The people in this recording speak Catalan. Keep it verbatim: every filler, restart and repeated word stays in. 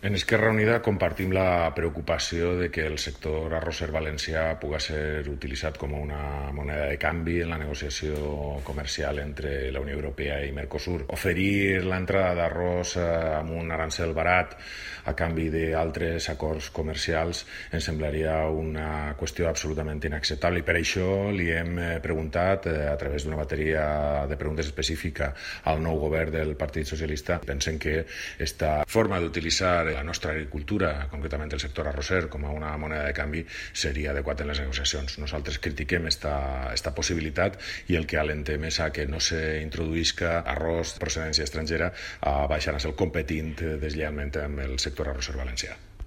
En Esquerra Unida compartim la preocupació de que el sector arrosser valencià pugui ser utilitzat com una moneda de canvi en la negociació comercial entre la Unió Europea i Mercosur. Oferir l'entrada d'arròs amb un arancel barat a canvi d'altres acords comercials ens semblaria una qüestió absolutament inacceptable i per això li hem preguntat a través d'una bateria de preguntes específica al nou govern del Partit Socialista. Pensem que esta forma d'utilitzar la nostra agricultura, concretament el sector arrosser, com a una moneda de canvi seria adequat en les negociacions. Nosaltres critiquem esta, esta possibilitat i el que alentem és a que no s'introduïsca arròs de procedència estrangera a baixar a ser competint deslleialment amb el sector arrosser valencià.